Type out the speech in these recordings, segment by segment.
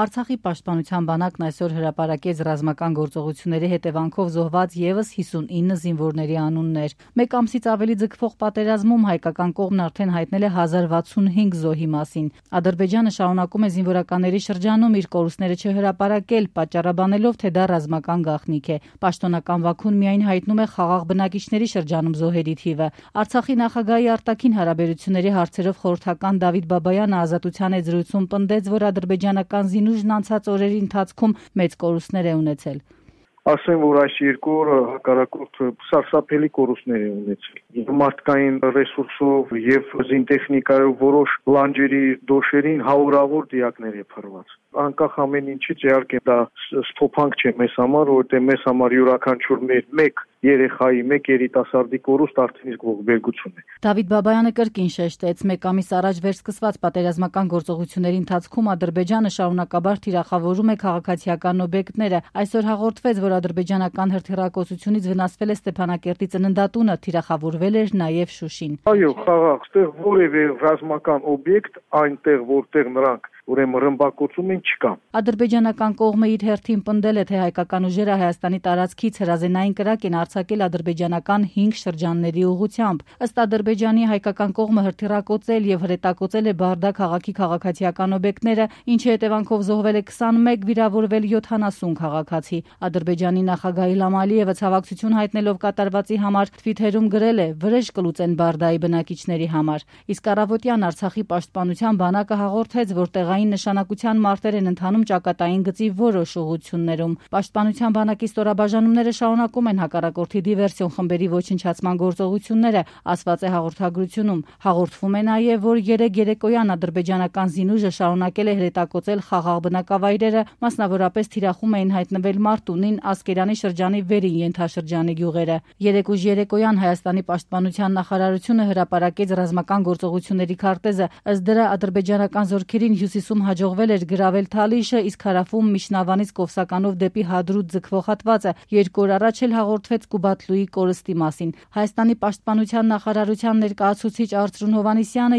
Արցախի պաշտպանության բանակն այսօր հրապարակեց ռազմական գործողությունների հետևանքով զոհված ևս 59 զինվորների անուններ։ Մեկ ամսից ավելի ձգվող պատերազմում հայկական կողմն արդեն հայտնել է 1065 զոհի մասին։ Ադրբեջանը շարունակում է զինվորականների շրջանում իր կորուստները չհրապարակել, պատճառաբանելով, թե դա ռազմական գաղտնիք է։ Պաշտոնական Բաքուն միայն հայտնում է խաղաղ բնակիչների շրջանում զոհերի թիվը։ Արցախի նախագահի արտաքին հարաբերությունների հարցերով խորհրդական Դավիթ Բաբայանը Ազատության զրույցում պնդեց, որ ադրբեջանական զինուժն անցած օրերի ընթացքում մեծ կորուստներ է ունեցել։ Ասեմ, որ այս երկու օրը հակառակորդը սարսափելի կորուստներ է ունեցել։ Մարդկային ռեսուրսով եւ զինտեխնիկայով որոշ լանջերի դոշերին հարյուրավոր դիակներ է փռված։ Անկախ ամեն ինչից իհարկե դա ստոփանք չէ մեզ համար, որովհետեւ մեզ համար յուրաքանչյուր մեկ երեխայի, մեկ երիտասարդի կորուստ արդեն իսկ ողբերգություն է։ Դավիթ Բաբայանը կրկին շեշտեց, մեկ ամիս առաջ վերսկսված պատերազմական գործողությունների ընթացքում Ադրբեջանը շարունակաբար թիրախավորում է քաղաքացիական օբյեկտները։ Այսօր հաղորդվեց, որ ադրբեջանական հրթիռակոծությունից վնասվել է Ստեփանակերտի ծննդատունը, թիրախավորվել էր նաև Շուշին։ Այո, խաղաղ, ստեղ որևէ ռազմական օբյեկտ այնտեղ, որտեղ նրանք ուրեմն ռմբակոծում են չկա։ Ադրբեջանական կողմը իր հերթին պնդել է, թե հայկական ուժերը Հայաստանի տարածքից հրազենային կրակ են արձակել ադրբեջանական 5 շրջանների ուղղությամբ։ Ըստ Ադրբեջանի հայկական կողմը հրթիռակոծել եւ հրետակոծել է Բարդա քաղաքի քաղաքացիական օբյեկտները, ինչի հետևանքով զոհվել է 21, վիրավորվել 70 քաղաքացի։ Ադրբեջանի նախագահ Իլհամ Ալիևը ցավակցություն հայտնելով կատարվածի համար Թվիթերում գրել է. «Վրեժ կլուծեն Բարդայի բնակիչների համար»։ Իսկ առավոտյան Արցախի պաշտպանության բանակը հաղորդեց, որ տեղային նշանակության մարտեր են ընթանում ճակատային գծի որոշ ուղղություններում։ Պաշտպանության բանակի ստորաբաժանումները շարունակում են հակառակորդի դիվերսիոն խմբերի ոչնչացման գործողությունները, ասված է հաղորդագրությունում։ Հաղորդվում է նաև, որ երեկոյան ադրբեջանական զինուժը շարունակել է հրետակոծել խաղաղ բնակավայրերը, մասնավորապես թիրախում էին հայտնվել Մարտունին, Ասկերանի շրջանի վերին ենթաշրջանի գյուղերը։ Երեկոյան Հայաստանի պաշտպանության նախարարությունը հրապարակեց ռազմական գործողությունների քարտեզը։ Ըստ դրա ադրբեջանական զորքերին հյուսիսում հաջողվել էր գրավել Թալիշը, իսկ հարավում Միշնավանից Կովսականով դեպի Հադրուտ ձգվող հատվածը։ 2 օր առաջ էլ հաղորդվեց Կուբատլուի կորստի մասին։ Հայաստանի պաշտպանության նախարարության ներկայացուցիչ Արծրուն Հովհաննիսյանը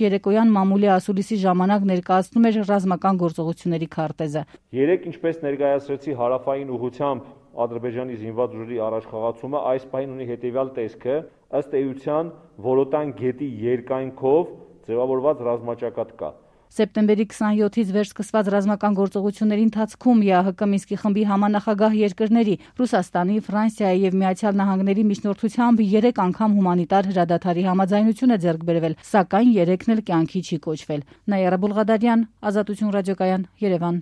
երեկոյան մամուլի ասուլիսի ժամանակ ներկայացնում էր ռազմական գործողությունների քարտեզը։ Երեկ, ինչպես ներկայացրեցի, հարավային ուղղությամբ Ադրբեջանի զինված ուժերի առաջխաղացումը այս պահին ունի հետևյալ տեսքը. ըստ էության Որոտան գետի երկայնքով ձևավորված ռազմաճակատ կա։ Սեպտեմբերի 27-ից վերսկսված ռազմական գործողությունների ընթացքում ԵԱՀԿ Մինսկի խմբի համանախագահ երկրների Ռուսաստանի, Ֆրանսիայի եւ Միացյալ Նահանգների միջնորդությամբ 3 անգամ հումանիտար հրադադարի համաձայնություն է ձեռք բերվել, սակայն 3-ն էլ կյանքի չի կոչվել։ Նաիրա Բուլղադարյան, Ազատություն ռադիոկայան, Երևան։